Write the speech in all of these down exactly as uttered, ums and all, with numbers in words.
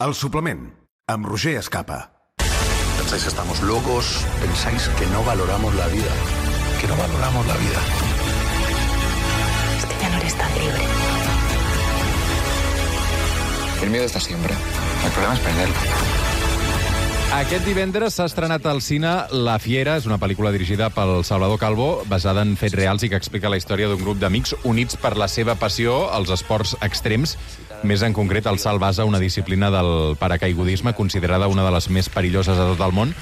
El suplement, amb Roger Escapa. Pensáis que estamos locos, pensáis que no valoramos la vida, que no valoramos la vida. Es que ya no eres tan libre. El miedo está siempre, el problema es perderlo. Aquest divendres s'ha estrenat al cine La Fiera, és una pel·lícula dirigida pel Salvador Calvo, basada en fets reals i que explica la història d'un grup d'amics units per la seva passió als esports extrems, més en concret el salt base, una disciplina del paracaigudisme considerada una de les més perilloses de tot el món.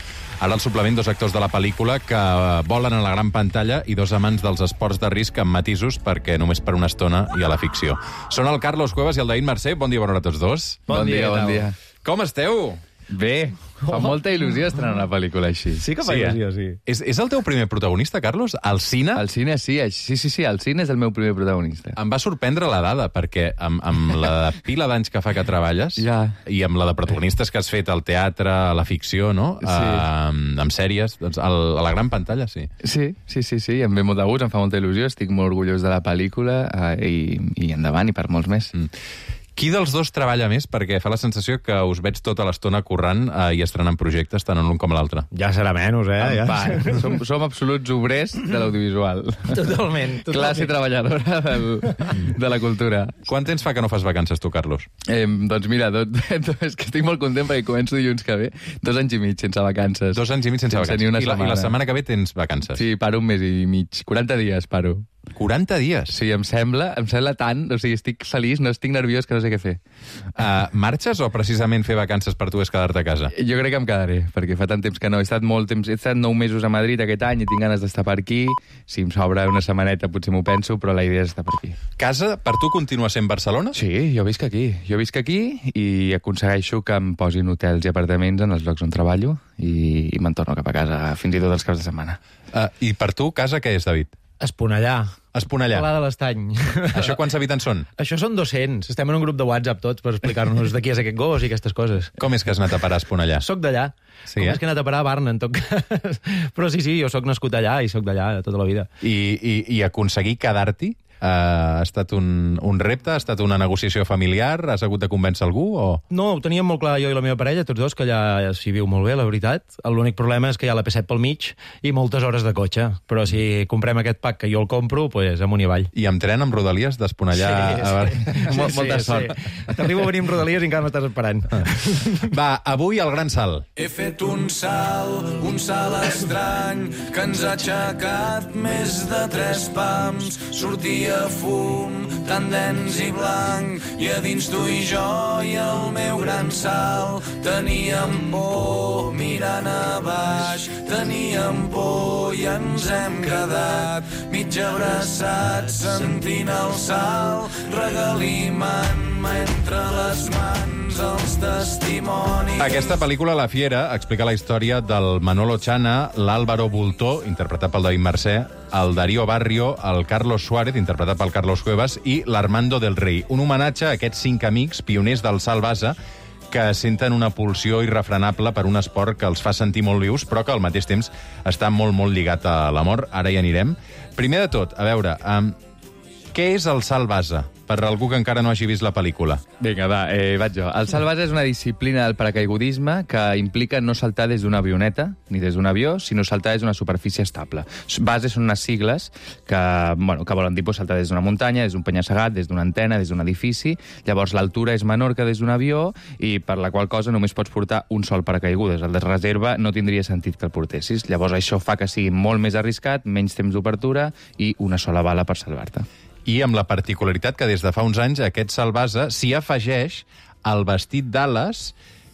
Ara al suplement, dos actors de la pel·lícula que volen a la gran pantalla i dos amants dels esports de risc amb matisos, perquè només per una estona hi ha la ficció. Són el Carlos Cuevas i el David Mercè. Bon dia, bona hora a tots dos. Bon, bon dia, bon dia. Com esteu? Bé, fa molta il·lusió estrenar una pel·lícula així. Sí que fa sí, il·lusió, sí. És, és el teu primer protagonista, Carlos? Al cine? Al cine, sí. Sí, sí, sí, al cine és el meu primer protagonista. Em va sorprendre la dada, perquè amb, amb la pila d'anys que fa que treballes ja. I amb la de protagonistes que has fet al teatre, a la ficció, no? Sí. Uh, amb sèries, doncs a la gran pantalla, sí. Sí, sí, sí, sí, em ve molt de gust, em fa molta il·lusió, estic molt orgullós de la pel·lícula uh, i, i endavant, i per molts més. Mm. Qui dels dos treballa més? Perquè fa la sensació que us veig tota l'estona currant eh, i estrenant projectes, tant en l'un com a l'altre. Ja serà menys, eh? Ja. Va, som, som absoluts obrers de l'audiovisual. Totalment. totalment. Classe treballadora del, de la cultura. Quant temps fa que no fas vacances, tu, Carlos? Eh, doncs mira, tot, tot, és que estic molt content perquè començo dilluns que ve. Dos anys i mig sense vacances. Dos anys i mig sense, sense vacances. I la, I la setmana que ve tens vacances? Sí, paro un mes i mig. quaranta dies paro. quaranta dies? Sí, em sembla, em sembla tant, o sigui, estic feliç, no estic nerviós, que no sé què fer. Uh, marxes o precisament fer vacances per tu és quedar-te a casa? Jo crec que em quedaré, perquè fa tant temps que no. He estat molt temps, he estat nou mesos a Madrid aquest any i tinc ganes d'estar per aquí. Si em sobra una setmaneta potser m'ho penso, però la idea és estar per aquí. Casa, per tu, continua sent Barcelona? Sí, jo visc aquí. Jo visc aquí i aconsegueixo que em posin hotels i apartaments en els llocs on treballo i, i me'n torno cap a casa, fins i tot els caps de setmana. Uh, I per tu, casa, què és, David? Esponellà. Esponellà. Pla de l'Estany. Això quants habitants són? Això són dos-cents. Estem en un grup de WhatsApp tots per explicar-nos de qui és aquest gos i aquestes coses. Com és que has anat a parar a Esponellà? Soc d'allà. Sí, Com eh? és que he anat a parar a Barna, en tot cas. Però sí, sí, jo sóc nascut allà i sóc d'allà tota la vida. I, i, i aconseguir quedar-t'hi? Uh, ha estat un, un repte? Ha estat una negociació familiar? Has hagut de convèncer algú? O... No, ho teníem molt clar jo i la meva parella, tots dos, que allà s'hi viu molt bé, la veritat. L'únic problema és que hi ha la P set pel mig i moltes hores de cotxe. Però si comprem aquest pack que jo el compro, pues amunt i avall. I amb tren, amb Rodalies, d'Esponellà... Sí, a... sí. Mol, sí, molta sí, sort. Sí. T'arribo a venir amb Rodalies i encara m'estàs esperant. Va, avui el gran salt. He fet un salt, un salt estrany, que ens ha aixecat més de tres pams. Sortia fum, tan dens i blanc, i a dins tu i jo i el meu gran salt. Teníem por mirant a baix, teníem por i ens hem quedat mig abraçats sentint el salt, regalimant-me entre les mans els testimonis. Aquesta pel·lícula, La Fiera, explica la història del Manolo Chana, l'Álvaro Bultó, interpretat pel David Mercè, el Darío Barrio, el Carlos Suárez, interpretat pel Carlos Cuevas, i l'Armando del Rey. Un homenatge a aquests cinc amics, pioners del salt base, que senten una pulsió irrefrenable per un esport que els fa sentir molt vius, però que al mateix temps està molt, molt lligat a l'amor. Ara hi anirem. Primer de tot, a veure, um, què és el salt base? Per algú que encara no hagi vist la pel·lícula. Vinga, va, eh, vaig jo. El salt base és una disciplina del paracaigudisme que implica no saltar des d'una avioneta ni des d'un avió, sinó saltar des d'una superfície estable. Base són unes sigles que, bueno, que volen dir pues, saltar des d'una muntanya, des d'un penya-segat, des d'una antena, des d'un edifici. Llavors l'altura és menor que des d'un avió i per la qual cosa només pots portar un sol paracaigudes. El de reserva no tindria sentit que el portessis. Llavors això fa que sigui molt més arriscat, menys temps d'obertura i una sola bala per salvar-te. I amb la particularitat que des de fa uns anys aquest salt base s'hi afegeix el vestit d'ales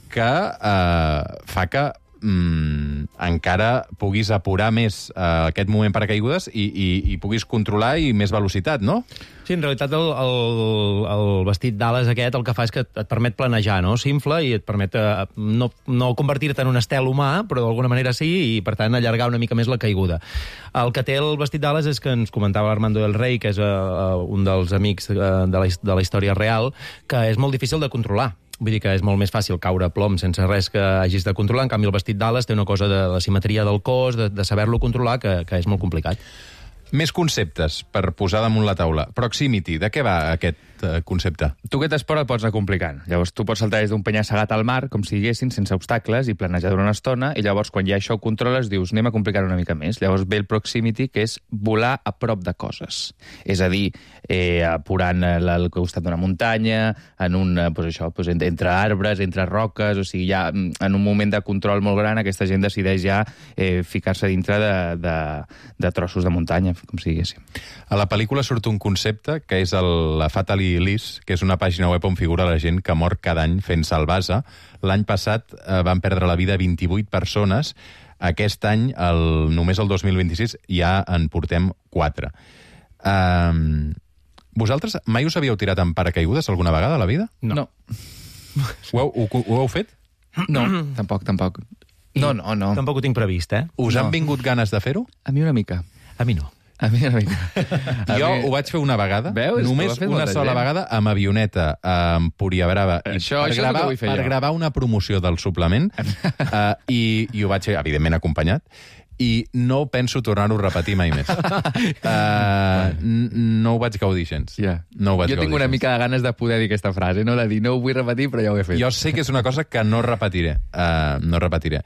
que eh, fa que mm, encara puguis apurar més eh, aquest moment paracaigudes i, i, i puguis controlar i més velocitat, no? Sí, en realitat el, el, el vestit d'ales aquest el que fa és que et permet planejar, no? S'infla i et permet eh, no, no convertir-te en un estel humà, però d'alguna manera sí, i per tant allargar una mica més la caiguda. El que té el vestit d'ales és que ens comentava l'Armando del Rey, que és uh, un dels amics uh, de, la, de la història real, que és molt difícil de controlar. Vull dir que és molt més fàcil caure a plom sense res que hagis de controlar. En canvi, el vestit d'ales té una cosa de la simetria del cos, de, de saber-lo controlar, que, que és molt complicat. Més conceptes per posar damunt la taula. Proximity, de què va aquest eh, concepte. Tu aquest esport el pots anar complicant. Llavors tu pots saltar des d'un penya-segat al mar, com si diguessin, sense obstacles, i planejar durant una estona, i llavors quan ja això ho controles dius anem a complicar una mica més. Llavors ve el proximity, que és volar a prop de coses. És a dir, eh, apurant al costat d'una muntanya, en un, pues això, pues entre arbres, entre roques, o sigui, ja en un moment de control molt gran aquesta gent decideix ja eh, ficar-se dintre de, de, de trossos de muntanya, com si diguéssim. A la pel·lícula surt un concepte que és el, la Fatally List, que és una pàgina web on figura la gent que mor cada any fent salvasa. L'any passat eh, van perdre la vida vint-i-vuit persones. Aquest any, el, només el dos mil vint-i-sis, ja en portem quatre. Um, vosaltres mai us havíeu tirat en paracaigudes alguna vegada a la vida? No. no. Ho, heu, ho, ho heu fet? No, tampoc, tampoc. No, no, no. Tampoc ho tinc previst, eh? Us no. han vingut ganes de fer-ho? A mi una mica. A mi no. A mi una mica. A jo mi... ho vaig fer una vegada, Veus? només una sola gent. vegada, amb avioneta, a Empúria Brava, això, per, això gravar, és per jo. gravar una promoció del suplement, uh, i, i ho vaig fer, evidentment, acompanyat, i no penso tornar-ho a repetir mai més. Uh, no ho vaig gaudir gens. Yeah. No ho vaig jo tinc gaudir una gens. mica de ganes de poder dir aquesta frase, no? De dir, no ho vull repetir, però ja ho he fet. Jo sé que és una cosa que no repetiré. Uh, no repetiré.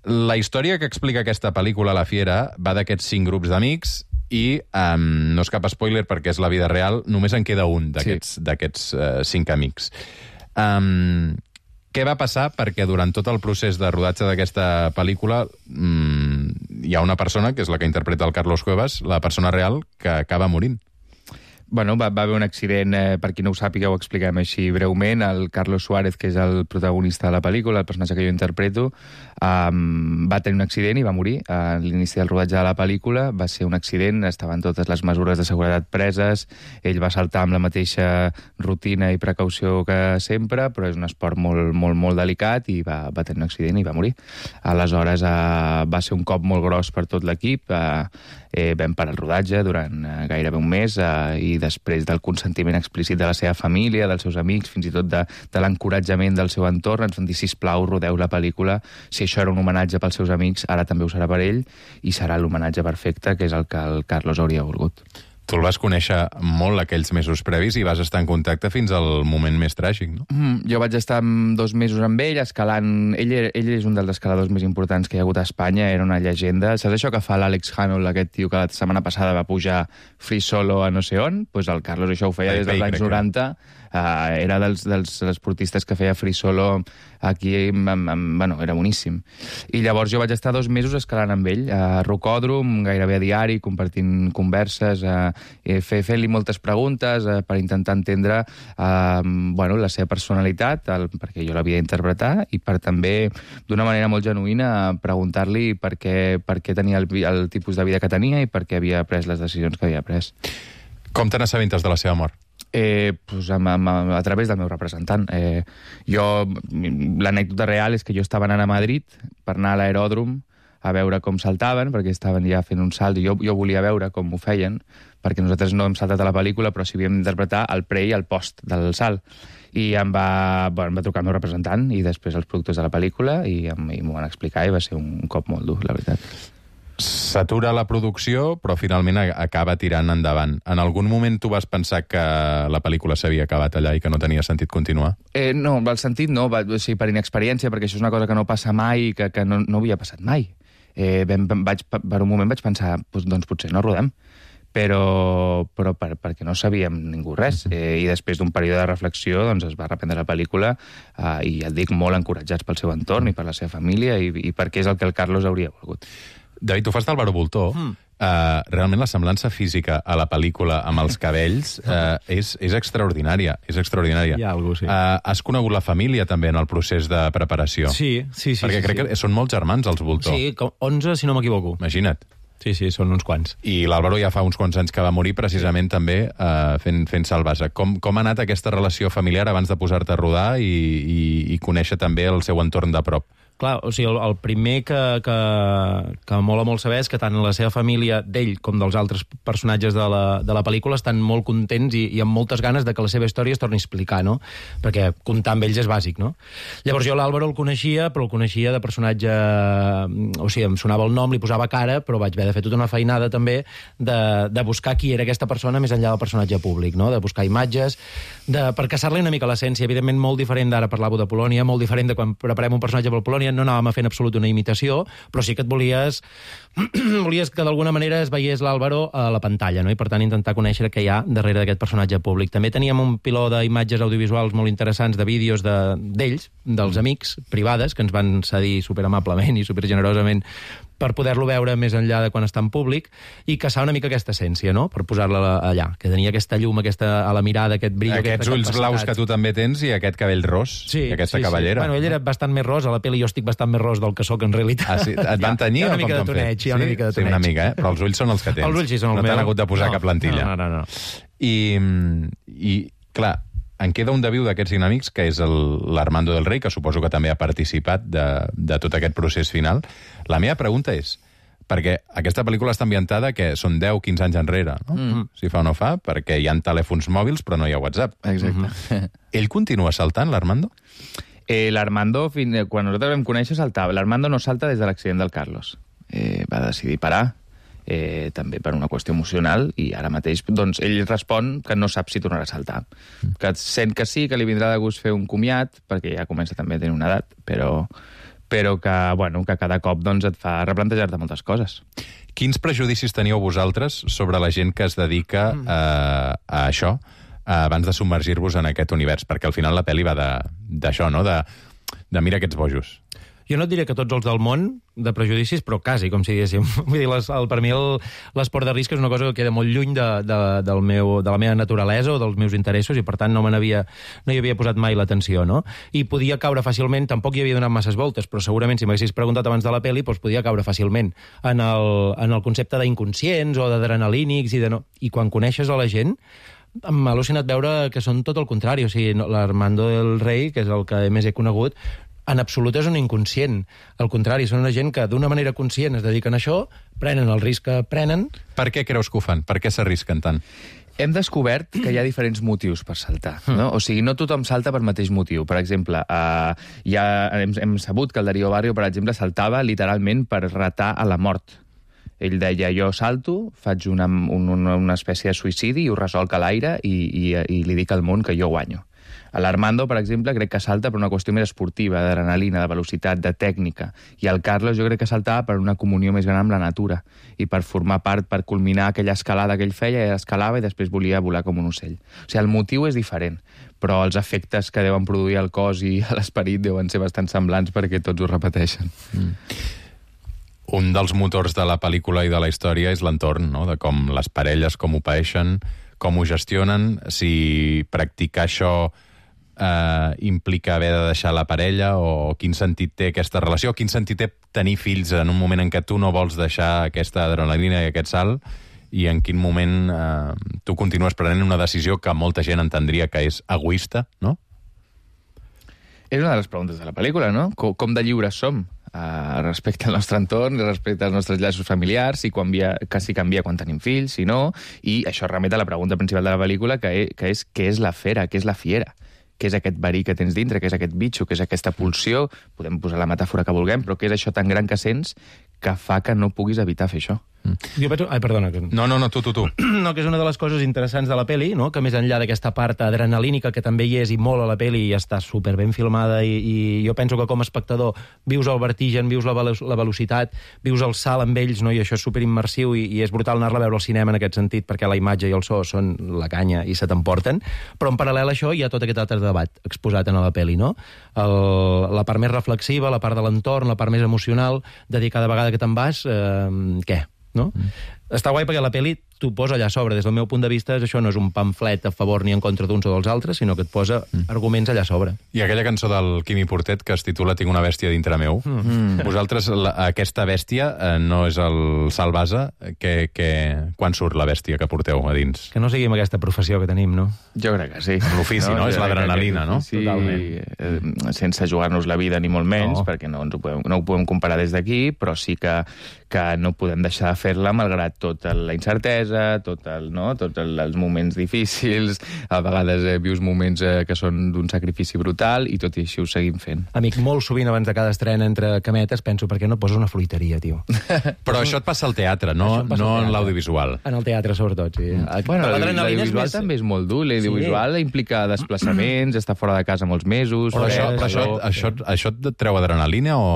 La història que explica aquesta pel·lícula, La Fiera, va d'aquests cinc grups d'amics i, um, no és cap spoiler perquè és la vida real, només en queda un d'aquests sí. d'aquests uh, cinc amics. Um, què va passar? Perquè durant tot el procés de rodatge d'aquesta pel·lícula um, hi ha una persona, que és la que interpreta el Carlos Cuevas, la persona real, que acaba morint. Bueno, va, va haver un accident, eh, per qui no ho sàpiga ho expliquem així breument, el Carlos Suárez, que és el protagonista de la pel·lícula, el personatge que jo interpreto, um, va tenir un accident i va morir a l'inici del rodatge de la pel·lícula. Va ser un accident, estaven totes les mesures de seguretat preses, ell va saltar amb la mateixa rutina i precaució que sempre, però és un esport molt, molt, molt delicat i va, va tenir un accident i va morir. Aleshores, uh, va ser un cop molt gros per tot l'equip, uh, eh, vam parar el rodatge durant uh, gairebé un mes uh, i després del consentiment explícit de la seva família, dels seus amics, fins i tot de, de l'encoratjament del seu entorn, ens van dir, sisplau, rodeu la pel·lícula. Si això era un homenatge pels seus amics, ara també ho serà per ell, i serà l'homenatge perfecte, que és el que el Carlos hauria volgut. Tu el vas conèixer molt aquells mesos previs i vas estar en contacte fins al moment més tràgic, no? Mm, jo vaig estar dos mesos amb ell, escalant... Ell, ell és un dels escaladors més importants que hi ha hagut a Espanya, era una llegenda. Saps això que fa l'Àlex Hanold, aquest tio que la setmana passada va pujar free solo a no sé on? Doncs pues el Carlos això ho feia des dels anys noranta. Uh, era dels, dels esportistes que feia free solo aquí, amb, amb, bueno, era boníssim. I llavors jo vaig estar dos mesos escalant amb ell, a Rocòdrom, gairebé a diari, compartint converses, uh, fent-li moltes preguntes uh, per intentar entendre uh, bueno, la seva personalitat, el, perquè jo l'havia d'interpretar, i per també, d'una manera molt genuïna, preguntar-li per què, per què tenia el, el tipus de vida que tenia i per què havia pres les decisions que havia pres. Com te n'assabentes de la seva mort? Eh, pues a, a, a través del meu representant. Eh, jo, l'anècdota real és que jo estava anant a Madrid per anar a l'aeròdrom a veure com saltaven, perquè estaven ja fent un salt, i jo, jo volia veure com ho feien, perquè nosaltres no hem saltat a la pel·lícula, però sí havíem d'interpretar el pre i el post del salt. I em va, bueno, em va trucar el meu representant, i després els productors de la pel·lícula, i, i m'ho van explicar, i va ser un cop molt dur, la veritat. S'atura la producció, però finalment acaba tirant endavant. En algun moment tu vas pensar que la pel·lícula s'havia acabat allà i que no tenia sentit continuar? Eh, no, el sentit no, va, o sigui, per inexperiència, perquè això és una cosa que no passa mai i que, que no, no havia passat mai. Eh, vam, vaig, per un moment vaig pensar, doncs, doncs potser no rodem, però, però per, perquè no sabíem ningú res. Eh, I després d'un període de reflexió doncs, es va reprendre la pel·lícula eh, i ja et dic, molt encoratjats pel seu entorn i per la seva família i, i perquè és el que el Carlos hauria volgut. David, tu fas d'Álvaro Bultó. Mm. Uh, realment la semblança física a la pel·lícula amb els cabells uh, és, és extraordinària. És extraordinària. Hi ha algú, sí. Uh, has conegut la família també en el procés de preparació? Sí, sí, sí. Perquè sí, crec sí. que són molts germans, els Bultó. Sí, com onze, si no m'equivoco. Imagina't. Sí, sí, són uns quants. I l'Álvaro ja fa uns quants anys que va morir precisament sí. també uh, fent, fent salvasa. Com, com ha anat aquesta relació familiar abans de posar-te a rodar i, i, i conèixer també el seu entorn de prop? clar, o sigui, el, el primer que, que, que mola molt saber és que tant la seva família, d'ell com dels altres personatges de la, de la pel·lícula, estan molt contents i, i amb moltes ganes de que la seva història es torni a explicar, no? Perquè comptar amb ells és bàsic, no? Llavors jo l'Àlvaro el coneixia, però el coneixia de personatge... O sigui, em sonava el nom, li posava cara, però vaig haver de fer tota una feinada també de, de buscar qui era aquesta persona més enllà del personatge públic, no? De buscar imatges, de, per caçar-li una mica l'essència, evidentment molt diferent d'ara parlàveu de Polònia, molt diferent de quan preparem un personatge per Polònia, no anàvem a fer en absolut una imitació, però sí que et volies volies que d'alguna manera es veiés l'Àlvaro a la pantalla, no? I per tant intentar conèixer què hi ha darrere d'aquest personatge públic. També teníem un piló d'imatges audiovisuals molt interessants, de vídeos d'ells, de, dels amics, privades, que ens van cedir superamablement i supergenerosament per poder-lo veure més enllà de quan està en públic i caçar una mica aquesta essència, no? Per posar-la allà, que tenia aquesta llum, aquesta, a la mirada, aquest brillo... Aquests ulls blaus que tu també tens i aquest cabell ros, sí, i aquesta sí, cavallera. Sí. Bueno, ell era bastant més ros, a la pel·li jo estic bastant més ros del que sóc en realitat. Ah, sí? Et van tenyir o com t'han fet? Hi ha una mica de toneig. Sí, una mica, eh? Però els ulls són els que tens. Els ulls sí són els no meus. No t'han hagut de posar no, cap plantilla. No, no, no. no. I, I, clar, en queda un de viu d'aquests dinàmics, que és l'Armando del Rey, que suposo que també ha participat de, de tot aquest procés final. La meva pregunta és, perquè aquesta pel·lícula està ambientada que són deu quinze anys enrere, no? Mm. Si fa o no fa, perquè hi ha telèfons mòbils però no hi ha WhatsApp. Exacte. Mm-hmm. Ell continua saltant, l'Armando? Eh, L'Armando, quan nosaltres vam conèixer, saltava. L'Armando no salta des de l'accident del Carlos. Eh, va decidir parar, eh, també per una qüestió emocional, i ara mateix doncs, ell respon que no sap si tornarà a saltar. Mm. Que sent que sí, que li vindrà de gust fer un comiat, perquè ja comença també a tenir una edat, però... però que, bueno, que cada cop doncs, et fa replantejar-te moltes coses. Quins prejudicis teníeu vosaltres sobre la gent que es dedica mm. a, a això abans de submergir-vos en aquest univers? Perquè al final la pel·li va d'això, no? De, de mira aquests bojos. Jo no et diré que tots els del món de prejudicis, però quasi, com si diguéssim. Vull dir, les, el, per mi l'esport de risc és una cosa que queda molt lluny de, de, del meu, de la meva naturalesa o dels meus interessos i, per tant, no me n'havia no hi havia posat mai l'atenció, no? I podia caure fàcilment, tampoc hi havia donat masses voltes, però segurament, si m'haguessis preguntat abans de la pel·li, doncs podia caure fàcilment en el, en el concepte d'inconscients o d'adrenalínics i de no... I quan coneixes a la gent, m'ha al·lucinat veure que són tot el contrari. O sigui, l'Armando del Rey, que és el que més he conegut, en absolut és un inconscient. Al contrari, són una gent que d'una manera conscient es dediquen a això, prenen el risc que prenen... Per què creus que ho fan? Per què s'arrisquen tant? Hem descobert que hi ha diferents motius per saltar, no? O sigui, no tothom salta per mateix motiu. Per exemple, eh, ja hem, hem sabut que el Darío Barrio, per exemple, saltava literalment per retar a la mort. Ell deia, jo salto, faig una, una, una espècie de suïcidi i ho resolc a l'aire i, i, i li dic al món que jo guanyo. A l'Armando, per exemple, crec que salta per una qüestió més esportiva, d'adrenalina, de velocitat, de tècnica. I el Carlos jo crec que saltava per una comunió més gran amb la natura i per formar part, per culminar aquella escalada que ell feia, escalava i després volia volar com un ocell. O sigui, el motiu és diferent, però els efectes que deuen produir al cos i a l'esperit deuen ser bastant semblants perquè tots ho repeteixen. Mm. Un dels motors de la pel·lícula i de la història és l'entorn, no? De com les parelles, com ho paeixen, com ho gestionen, si practicar això eh, implica haver de deixar la parella, o quin sentit té aquesta relació, quin sentit té tenir fills en un moment en què tu no vols deixar aquesta adrenalina i aquest salt, i en quin moment eh, tu continues prenent una decisió que molta gent entendria que és egoista, no? És una de les preguntes de la pel·lícula, no? Com, com de lliures som? Uh, respecte al nostre entorn, respecte als nostres llaços familiars, si canvia, que si canvia quan tenim fills, si no, i això remet a la pregunta principal de la pel·lícula, que és, que és què és la fera, què és la fiera, què és aquest verí que tens dintre, què és aquest bitxo, què és aquesta pulsió, podem posar la metàfora que vulguem, però què és això tan gran que sents que fa que no puguis evitar fer això. Mm. Jo penso... Ai, perdona. Que... No, no, no, tu, tu, tu. No, que és una de les coses interessants de la peli, no? Que més enllà d'aquesta part adrenalínica que també hi és i molt a la peli i està super ben filmada i, i jo penso que com a espectador vius el vertigen, vius la, velo la velocitat, vius el salt amb ells, no? I això és super immersiu i, i és brutal anar-la a veure al cinema en aquest sentit perquè la imatge i el so són la canya i se t'emporten, però en paral·lel a això hi ha tot aquest altre debat exposat en la peli, no? El, la part més reflexiva, la part de l'entorn, la part més emocional, de dir cada vegada que te'n vas, eh, què? No? Mm. Està guai perquè la pel·li t'ho posa allà a sobre. Des del meu punt de vista, això no és un pamflet a favor ni en contra d'uns o dels altres, sinó que et posa mm. arguments allà a sobre. I aquella cançó del Quimi Portet que es titula Tinc una bèstia dintre meu. Mm. Vosaltres, la, aquesta bèstia eh, no és el Salvasa, que, que... quan surt la bèstia que porteu a dins? Que no sigui amb aquesta professió que tenim, no? Jo crec que sí. L'ofici, no? no? És l'adrenalina, no? Sí, eh, sense jugar-nos la vida ni molt menys, no. perquè no, ens ho podem, no ho podem comparar des d'aquí, però sí que, que no podem deixar de fer-la malgrat tota la incertesa, tot el, no? tots el, els moments difícils, a vegades eh, vius moments eh, que són d'un sacrifici brutal i tot i així ho seguim fent. Amic, molt sovint abans de cada estrena entre cametes penso per què no poses una fruiteria, tio. Però això et passa al teatre, no, no en l'audiovisual. En el teatre, sobretot, sí. Bueno, l'audiovisual més... també és molt dur. L'audiovisual sí. implica desplaçaments, estar fora de casa molts mesos... Però això, però això, això, això et treu adrenalina o...?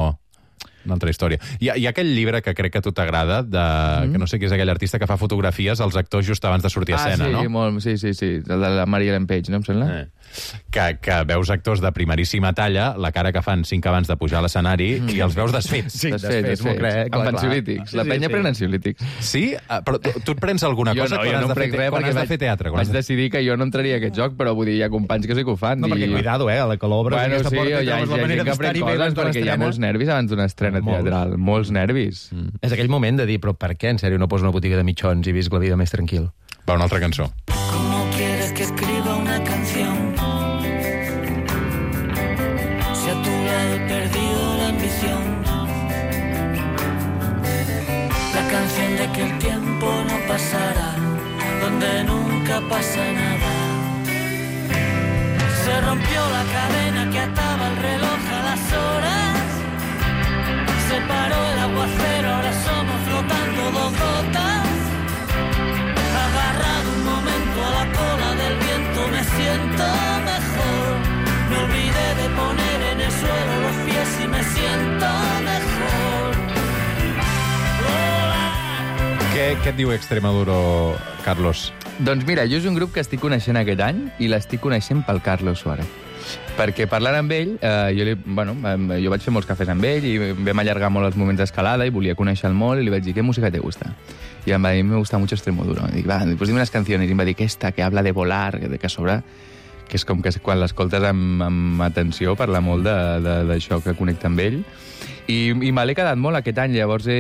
Una altra història. Hi ha, hi ha aquell llibre que crec que a tu t'agrada, mm. que no sé qui és aquell artista que fa fotografies als actors just abans de sortir a escena, ah, sí, no? Molt, sí, sí, sí, el de la Maria Ellen Page, no em sembla? Eh. Que, que veus actors de primeríssima talla, la cara que fan cinc abans de pujar a l'escenari, mm. i els veus desfets. Sí, desfets, desfets, desfets. Amb ansiolítics. La penya sí, sí. pren ansiolítics. Sí? Però tu, tu et prens alguna jo cosa no, quan, no has, de fer, quan has de fer teatre? Vaig de... decidir que jo no entraria a aquest joc, però vull dir, hi ha companys que sí que ho fan. No, perquè cuidado, eh, a la que l'obres bueno, aquesta sí, porta hi ha, i trobes la manera d'estar-hi bé abans perquè hi ha molts nervis abans d'una estrena teatral. Molts nervis. Mm. És aquell moment de dir, però per què, en sèrio, no poso una botiga de mitjons i visc la vida més tranquil? Va, una altra cançó. ¿Cómo quieres que escriba una canción? Si a tu lado he perdido la ambición. La canción de que el tiempo no pasará, donde nunca pasa nada. Se rompió la cadena que ataba el reloj a las horas. Se paró el aguacero, ahora somos flotando dos gotas. Agarrado un momento a la cola del viento, me siento mejor. Me olvidé de poner en el suelo los pies y me siento mejor. Hola. Què, què et diu Extremoduro, Carlos? Doncs mira, jo és un grup que estic coneixent aquest any i l'estic coneixent pel Carlos Suárez. Perquè parlant amb ell, eh, jo, li, bueno, jo vaig fer molts cafès amb ell i vam allargar molt els moments d'escalada i volia conèixer-lo molt i li vaig dir, ¿qué música te gusta? I em va dir, me gusta mucho Extremoduro. I dic, va, pues dime unas canciones. I em va dir, aquesta, que habla de volar, de que a sobre, que és com que quan l'escoltes amb, amb atenció parla molt d'això que connecta amb ell. I, i me l'he quedat molt aquest any, llavors he...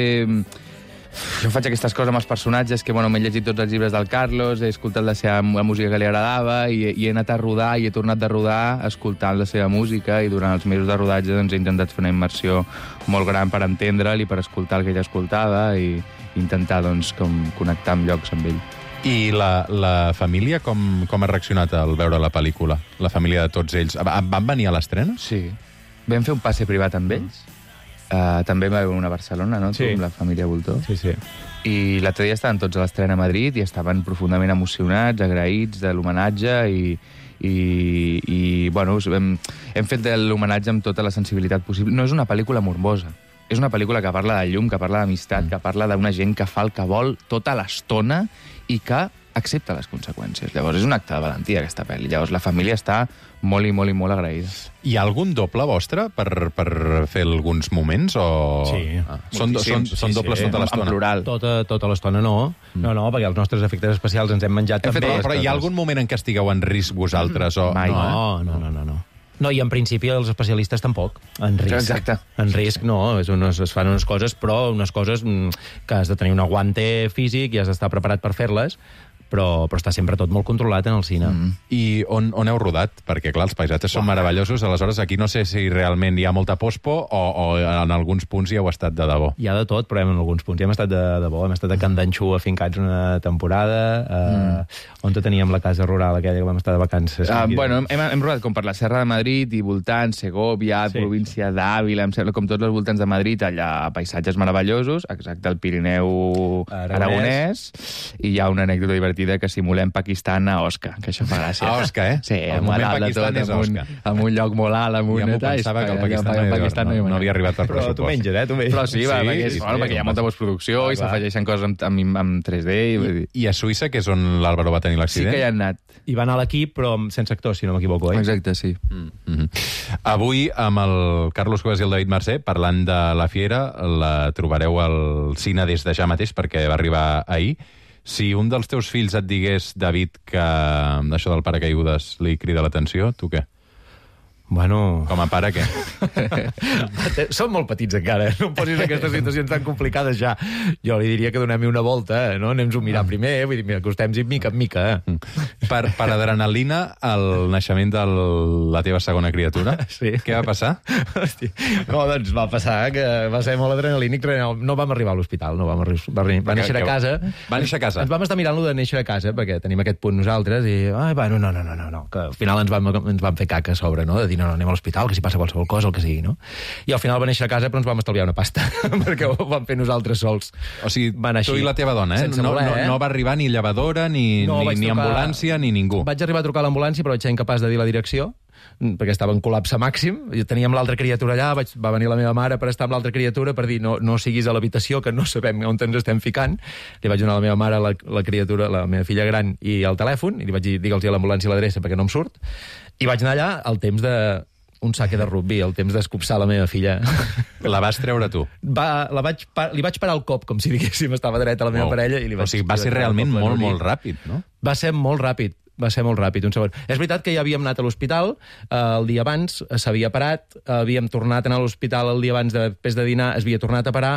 Jo faig aquestes coses amb els personatges que, bueno, m'he llegit tots els llibres del Carlos, he escoltat la seva la música que li agradava i, i he anat a rodar i he tornat de rodar escoltant la seva música i durant els mesos de rodatge doncs, he intentat fer una immersió molt gran per entendre'l i per escoltar el que ella escoltava i intentar doncs, com, connectar amb llocs amb ell. I la, la família com, com ha reaccionat al veure la pel·lícula? La família de tots ells. Van venir a l'estrena? Sí. Vam fer un passe privat amb ells. Uh, també va haver una a Barcelona, no? Sí. Tu, amb la família Voltor. Sí, sí. I l'altre dia estaven tots a l'estrena a Madrid i estaven profundament emocionats, agraïts de l'homenatge i, i, i bueno, hem, hem fet l'homenatge amb tota la sensibilitat possible. No és una pel·lícula morbosa. És una pel·lícula que parla de llum, que parla d'amistat, mm. que parla d'una gent que fa el que vol tota l'estona i que accepta les conseqüències. Llavors, és un acte de valentia, aquesta pel·li. Llavors, la família està molt i molt i molt agraïda. Hi ha algun doble vostre per, per fer alguns moments? O... Sí. Ah, són, són, sí, són dobles sí. tota l'estona? En plural. Tota, tota l'estona no. Mm. No, no, perquè els nostres efectes especials ens hem menjat hem també. Fet, però hi ha algun moment en què estigueu en risc vosaltres? O... Mai. No, no, no, no, no. No, i en principi els especialistes tampoc. En risc. Exacte. En risc no, és unes, es fan unes coses, però unes coses que has de tenir un aguante físic i has d'estar preparat per fer-les, però, però està sempre tot molt controlat en el cine. Mm. I on, on heu rodat? Perquè, clar, els paisatges són meravellosos, aleshores aquí no sé si realment hi ha molta pospo o, o en alguns punts hi heu estat de debò. Hi ha de tot, però en alguns punts hi hem estat de debò. Hem estat a Can Danxú afincats una temporada, eh, mm. on teníem la casa rural aquella que vam estar de vacances. Uh, bueno, hem, hem rodat com per la Serra de Madrid i voltants, Segovia, sí. província d'Àvila, em sembla, com tots els voltants de Madrid, allà paisatges meravellosos, exacte, el Pirineu Aragonès, Aragonès i hi ha una anècdota divertida que simulem Pakistan a Osca, que això fa gràcia. A Osca, eh? Sí, el moment Pakistan és Osca. Amb un lloc molt alt, amb un... Ja m'ho pensava que el Pakistan, no, Pakistan no, no, no havia arribat per pressupost. Però tu menges, eh? Tu menges. Però sí, va, sí, perquè, és, sí, bueno, sí, perquè hi ha molta postproducció ah, i s'afegeixen coses amb, amb, amb tres D. I, I, I a Suïssa, que és on l'Àlvaro va tenir l'accident? Sí que hi ha anat. I va anar a l'equip, però sense actors, si no m'equivoco, eh? Exacte, sí. Mm -hmm. Avui, amb el Carlos Cuevas i el David Mercè, parlant de La Fiera, la trobareu al cine des de ja mateix, perquè va arribar ahir. Si un dels teus fills et digués, David, que això del paracaigudes li crida l'atenció, tu què? Bueno... Com a pare, què? Som molt petits encara, no em posis aquestes situacions tan complicades ja. Jo li diria que donem-hi una volta, no? Anem-nos a mirar primer, vull dir, mira, acostem-hi mica en mica. Eh? Per, per adrenalina, el naixement de la teva segona criatura, sí. Què va passar? Hosti, no, doncs va passar que va ser molt adrenalínic, no vam arribar a l'hospital, no vam arribar, va, va néixer a casa. Va néixer a casa? Ens vam estar mirant-lo de néixer a casa, perquè tenim aquest punt nosaltres, i, ai, bueno, no, no, no, no, no, que al final ens vam, ens vam fer caca a sobre, no?, de dir, no, no, anem a l'hospital, que si passa qualsevol cosa, el que sigui, no? I al final va néixer a casa, però ens vam estalviar una pasta, perquè ho vam fer nosaltres sols. O sigui, van tu i la teva dona, eh? No, voler, no, eh? no va arribar ni llevadora, ni, no, ni, ni trucar... ambulància, ni ningú. Vaig arribar a trucar a l'ambulància, però vaig ser incapaç de dir la direcció, perquè estava en col·lapse màxim, i teníem l'altra criatura allà, vaig, va venir la meva mare per estar amb l'altra criatura, per dir, no, no siguis a l'habitació, que no sabem on ens estem ficant. Li vaig donar a la meva mare la, la criatura, la meva filla gran, i el telèfon, i li vaig dir, digue'ls a l'ambulància l'adreça, perquè no em surt, i vaig anar allà al temps de un saque de rugby, el temps d'escopsar la meva filla. La vas treure tu? Va, la vaig, li vaig parar el cop, com si diguéssim, estava dreta la meva wow. parella. I li vaig, o sigui, va ser realment molt, molt ràpid, no? Va ser molt ràpid. Va ser molt ràpid, un segon. És veritat que ja havíem anat a l'hospital eh, el dia abans, s'havia parat, havíem tornat a anar a l'hospital el dia abans, de, després de dinar, es havia tornat a parar,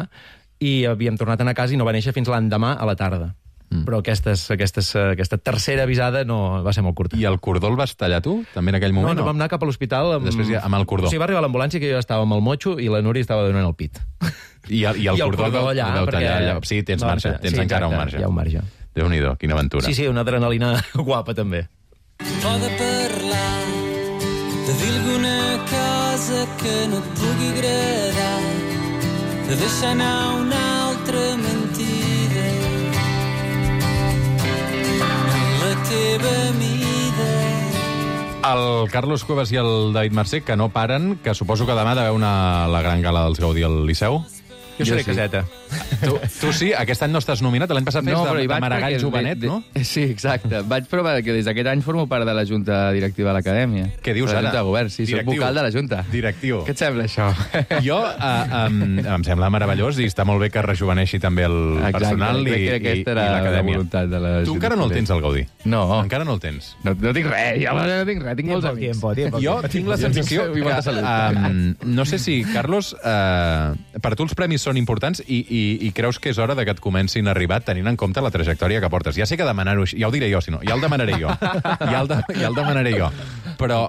i havíem tornat a anar a casa i no va néixer fins l'endemà a la tarda. Mm. Però aquestes, aquestes, aquesta tercera avisada no va ser molt curta. I el cordó el vas tallar tu, també en aquell moment? No, no, vam anar cap a l'hospital amb... Després ja, amb el cordó. O sigui, va arribar l'ambulància, que jo estava amb el motxo i la Núria estava donant el pit. I el, i el, I el cordó, cordó allà, el vau tallar perquè... allà. Sí, tens, no, marge, tens sí, encara exacte, un marge. Hi ha un marge. Déu-n'hi-do, quina aventura. Sí, sí, una adrenalina guapa, també. O de parlar, de dir alguna cosa que no et pugui agradar, de deixar anar una altra mentida en la teva mida. El Carlos Cuevas i el David Mercè, que no paren, que suposo que demà deveu anar a la gran gala dels Gaudí al Liceu. Jo seré sí. caseta. Tu, tu sí? Aquest any no estàs nominat? L'any passat fes No, de, però hi de vaig Maragall perquè- Jovenet, de- no? de- Sí, exacte. Vaig provar que des d'aquest any formo part de la Junta Directiva de l'Acadèmia. Què dius de la ara? Junta de Govern, sí, soc Directiu. vocal de la Junta. Directiu. Què et sembla, això? Jo, uh, um, em sembla meravellós i està molt bé que rejuveneixi també el Exacte, personal i, crec que i, aquesta i era la l'Acadèmia. voluntat de la Tu Junta encara no el de tens, el Gaudí? No. Encara no el tens? No, no tinc res, ja no tinc res, tinc molts amics. Tiempo, tiempo, Jo tinc la sensació I molta que... salut. Um, no sé si, Carlos, uh, per tu els premis són importants i, i, i creus que és hora de que et comencin a arribar tenint en compte la trajectòria que portes. Ja sé que demanar-ho així, ja ho diré jo, si no, ja el demanaré jo. Ja el, de, ja el demanaré jo. Però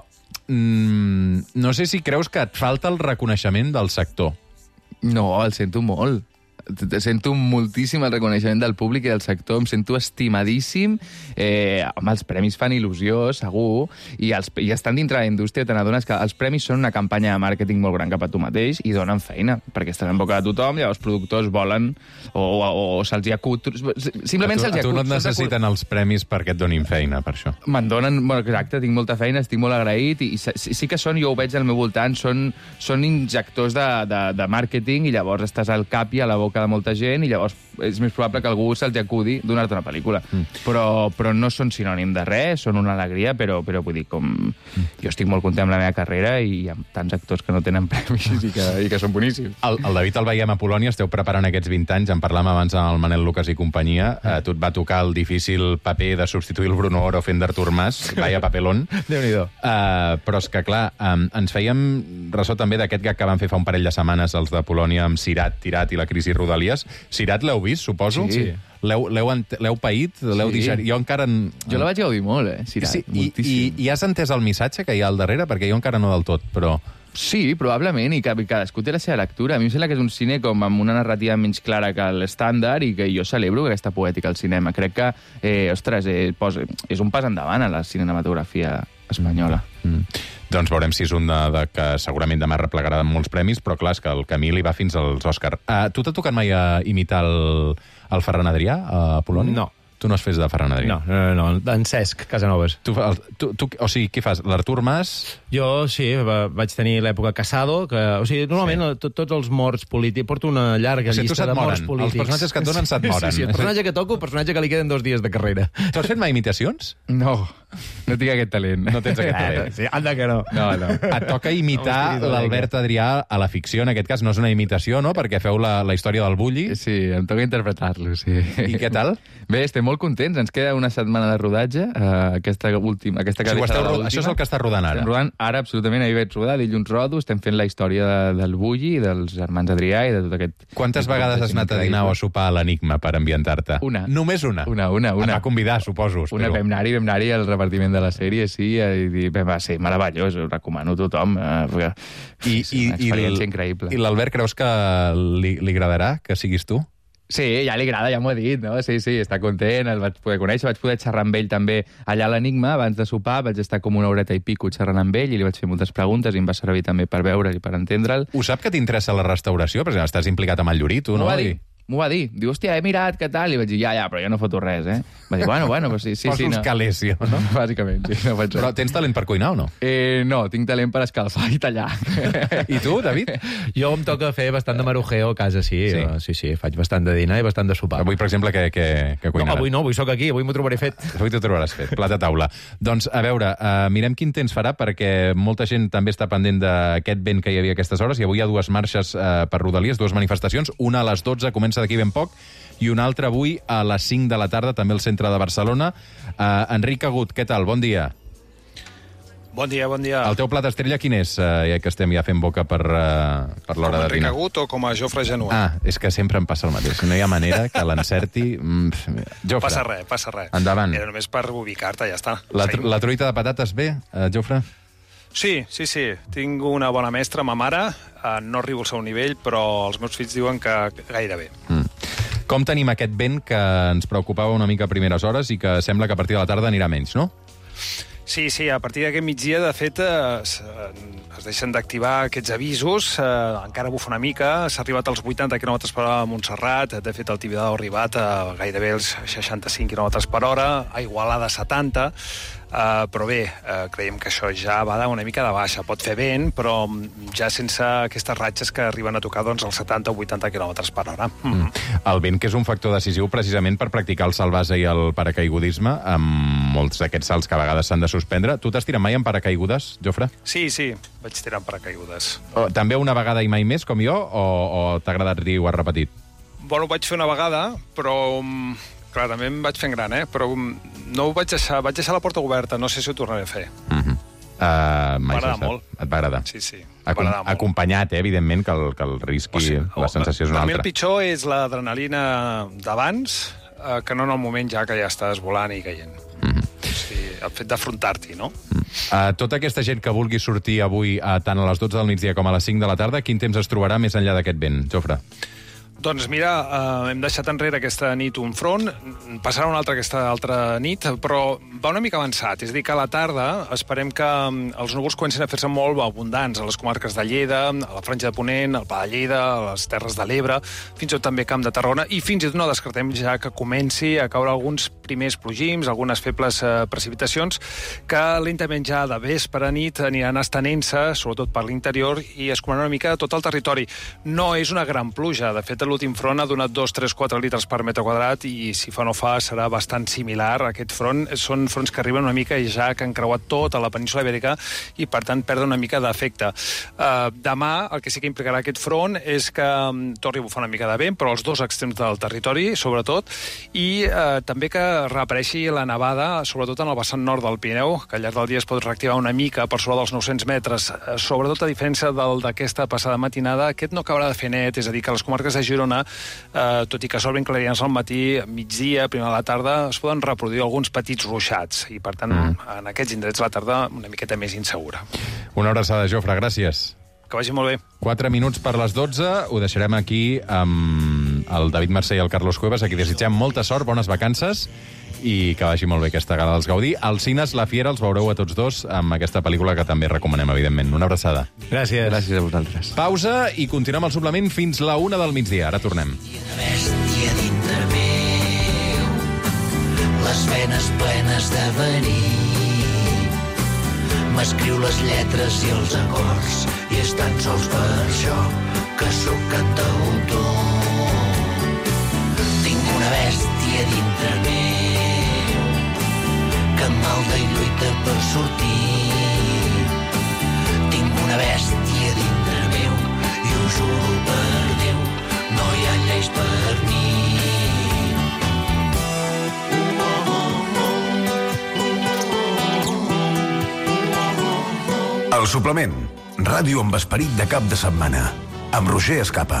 mm, no sé si creus que et falta el reconeixement del sector. No, el sento molt. Sento moltíssim el reconeixement del públic i del sector, em sento estimadíssim. Eh, home, els premis fan il·lusió, segur, i, els, i estan dintre de la indústria, te n'adones que els premis són una campanya de màrqueting molt gran cap a tu mateix i donen feina, perquè estan en boca de tothom, llavors els productors volen o, o, o se'ls hi acut... Simplement a tu, se'ls hi a tu acut. no et necessiten els premis perquè et donin feina, per això. Me'n donen, bueno, exacte, tinc molta feina, estic molt agraït, i, i sí, sí que són, jo ho veig al meu voltant, són, són injectors de, de, de màrqueting, i llavors estàs al cap i a la boca de molta gent, i llavors és més probable que algú se'ls acudi donar-te una pel·lícula. Mm. Però, però no són sinònim de res, són una alegria, però, però vull dir, com... Mm. Jo estic molt content amb la meva carrera i hi ha tants actors que no tenen premis i que, i que són boníssims. El, el David el veiem a Polònia, esteu preparant aquests vint anys, en parlàvem abans amb el Manel Lucas i companyia, eh, tu et va tocar el difícil paper de substituir el Bruno Oro fent d'Artur Mas, vaya papelón. Déu-n'hi-do. Uh, però és que, clar, um, ens fèiem ressò també d'aquest gag que van fer fa un parell de setmanes els de Polònia amb Cirat, Tirat i la crisi Rodalies. Cirat l'heu vist, suposo? Sí. L'heu paït? L'heu Sí. digerit? Jo encara... Jo la vaig gaudir molt, eh, Cirat, sí, i, i, moltíssim. I has entès el missatge que hi ha al darrere? Perquè jo encara no del tot, però... Sí, probablement, i que cadascú té la seva lectura. A mi em sembla que és un cine com amb una narrativa menys clara que l'estàndard i que jo celebro aquesta poètica al cinema. Crec que, eh, ostres, eh, posa, és un pas endavant a la cinematografia espanyola. Mm. Doncs veurem si és un de, de que segurament demà replegarà molts premis, però clar, és que el camí li va fins als Òscar. Uh, tu t'ha tocat mai a imitar el, el Ferran Adrià a Polònia? No. Tu no has fet de Ferran Adrià? No, no, no, no. En Cesc Casanovas. Tu, el, tu, tu, o sigui, què fas? L'Artur Mas? Jo, sí, va, vaig tenir l'època Casado, que, o sigui, normalment sí. tots els morts polítics... Porto una llarga O sigui, tu llista se't de morts moren. polítics. Els personatges que et donen se't moren. Sí, sí, el personatge que toco, el personatge que li queden dos dies de carrera. Tu has fet mai imitacions? No. No tinc aquest talent. No tens aquest talent. Sí, anda que no. No, no. Et toca imitar l'Albert Adrià a la ficció, en aquest cas no és una imitació, no?, perquè feu la, la història del bulli. Sí, em toca interpretar-lo, sí. I què tal? Bé, estem molt contents. Ens queda una setmana de rodatge. Uh, aquesta última, aquesta O sigui, que esteu, serà l'última. això és el que està rodant ara. Estem rodant ara, absolutament. Ahir vaig rodar, dilluns rodo. Estem fent la història de, del bulli, dels germans Adrià i de tot aquest... Quantes vegades has anat a dinar o a sopar a l'Enigma per ambientar-te? Una. Només una? Una, una, una. Et va convidar, suposo. Una, espero. vam anar-hi, vam anar-hi al repartiment de la sèrie, sí, i va ser meravellós, ho recomano a tothom. Eh, I, sí, i, una experiència i increïble. I l'Albert creus que li, li agradarà que siguis tu? Sí, ja li agrada, ja m'ho ha dit, no? Sí, sí, està content, el vaig poder conèixer, vaig poder xerrar amb ell també allà a l'Enigma, abans de sopar, vaig estar com una horeta i pico xerrant amb ell i li vaig fer moltes preguntes i em va servir també per veure'l i per entendre'l. Ho sap que t'interessa la restauració? Per exemple, estàs implicat amb el Llorí, tu, no? M'ho va dir. M'ho va dir. Diu, hòstia, he mirat, què tal? I vaig dir, ja, ja, però jo no foto res, eh? Va dir, bueno, bueno, però sí, sí, Fos sí. uns no. calés, jo, no? Bàsicament, sí, no faig res. Però tens talent per cuinar o no? Eh, no, tinc talent per escalfar i tallar. I tu, David? Jo em toca fer bastant de marujeo a casa, sí. Sí. Sí, sí, sí faig bastant de dinar i bastant de sopar. Avui, per exemple, què, què, què No, cuinaràs? avui no, avui sóc aquí, avui m'ho trobaré fet. Avui t'ho trobaràs fet, plat a taula. Doncs, a veure, uh, mirem quin temps farà, perquè molta gent també està pendent d'aquest vent que hi havia a aquestes hores, i avui hi ha dues marxes uh, per Rodalies, dues manifestacions, una a les dotze, comença d'aquí ben poc, i una altra avui a les cinc de la tarda, també al centre de Barcelona. Uh, Enric Agut, què tal? Bon dia. Bon dia, bon dia. El teu plat estrella quin és, uh, ja que estem ja fent boca per, uh, per Com l'hora a de Enric dinar? Agut o com a Jofre Genuà? Ah, és que sempre em passa el mateix. No hi ha manera que l'encerti. Mm, Jofre. Passa res, passa res. Endavant. Era només per ubicar-te, ja està. La, tr Seguim. la truita de patates bé, uh, Jofre? Sí, sí, sí. Tinc una bona mestra, ma mare. Uh, no arribo al seu nivell, però els meus fills diuen que gairebé. Mm. Com tenim aquest vent que ens preocupava una mica a primeres hores i que sembla que a partir de la tarda anirà menys, no? Sí, sí, a partir d'aquest migdia, de fet, es, es deixen d'activar aquests avisos, eh, encara bufa una mica, s'ha arribat als vuitanta quilòmetres per hora a Montserrat, de fet, el Tibidabo ha arribat a gairebé els seixanta-cinc quilòmetres per hora, a Igualada setanta, Uh, però bé, uh, creiem que això ja va una mica de baixa. Pot fer vent, però ja sense aquestes ratxes que arriben a tocar doncs, els setanta o vuitanta quilòmetres per hora. Mm. El vent, que és un factor decisiu precisament per practicar el salvàs i el paracaigudisme, amb molts d'aquests salts que a vegades s'han de suspendre. Tu t'has tirat mai en paracaigudes, Jofre? Sí, sí, vaig tirar en paracaigudes. O, també una vegada i mai més, com jo, o, o t'ha agradat dir i ho has repetit? Bueno, ho vaig fer una vegada, però... Clar, també em vaig fent gran, eh? Però no ho vaig deixar, vaig deixar la porta oberta, no sé si ho tornaré a fer. Mm-hmm. uh, M'agrada molt. Et va agradar? Sí, sí, Acom m'agrada molt. Acompanyat, eh, evidentment, que el, que el risc i sigui, la sensació és una per mi el altra. pitjor és l'adrenalina d'abans, eh, que no en el moment ja que ja estàs volant i caient. Mm-hmm. O sigui, el fet d'afrontar-t'hi, no? Uh, tota aquesta gent que vulgui sortir avui uh, tant a les dotze del migdia com a les cinc de la tarda, quin temps es trobarà més enllà d'aquest vent, Jofre? Doncs mira, eh, hem deixat enrere aquesta nit un front, passarà una altra aquesta altra nit, però va una mica avançat. És a dir, que a la tarda esperem que els núvols comencin a fer-se molt abundants a les comarques de Lleida, a la Franja de Ponent, al Pla de Lleida, a les Terres de l'Ebre, fins i tot també Camp de Tarragona, i fins i tot no descartem ja que comenci a caure alguns primers plogims, algunes febles eh, precipitacions, que lentament ja de vespre a nit aniran estenent-se, sobretot per l'interior, i es comaran una mica tot el territori. No és una gran pluja, de fet, l'últim front ha donat dos, tres, quatre litres per metre quadrat i si fa no fa serà bastant similar. Aquest front són fronts que arriben una mica i ja que han creuat tota la península Ibèrica i per tant perden una mica d'efecte. Uh, demà el que sí que implicarà aquest front és que um, torni a bufar una mica de vent, però als dos extrems del territori, sobretot, i uh, també que reapareixi la nevada, sobretot en el vessant nord del Pirineu, que al llarg del dia es pot reactivar una mica per sobre dels nou-cents metres. Uh, sobretot a diferència del d'aquesta passada matinada, aquest no acabarà de fer net, és a dir, que les comarques de Girona, Uh, tot i que s'obrin clarians al matí, migdia, primera a la tarda, es poden reproduir alguns petits ruixats i, per tant, mm. en aquests indrets la tarda una miqueta més insegura. Una abraçada, Jofre, gràcies. Que vagi molt bé. Quatre minuts per les dotze, ho deixarem aquí amb el David Mercè i el Carlos Cuevas, a qui desitgem molta sort, bones vacances, i que vagi molt bé aquesta gala dels Gaudí. Als cines La Fiera els veureu a tots dos amb aquesta pel·lícula que també recomanem, evidentment. Una abraçada. Gràcies. Gràcies a vosaltres. Pausa i continuem el suplement fins la una del migdia. Ara tornem. Bèstia dintre meu, les venes plenes de verí, m'escriu les lletres i els acords, i és tan sols per això que sóc cantautor. Tinc una bèstia dintre meu que malda i lluita per sortir. Tinc una bèstia dintre meu i ho juro per Déu, no hi ha lleis per mi. El suplement. Ràdio amb esperit de cap de setmana. Amb Roger Escapa.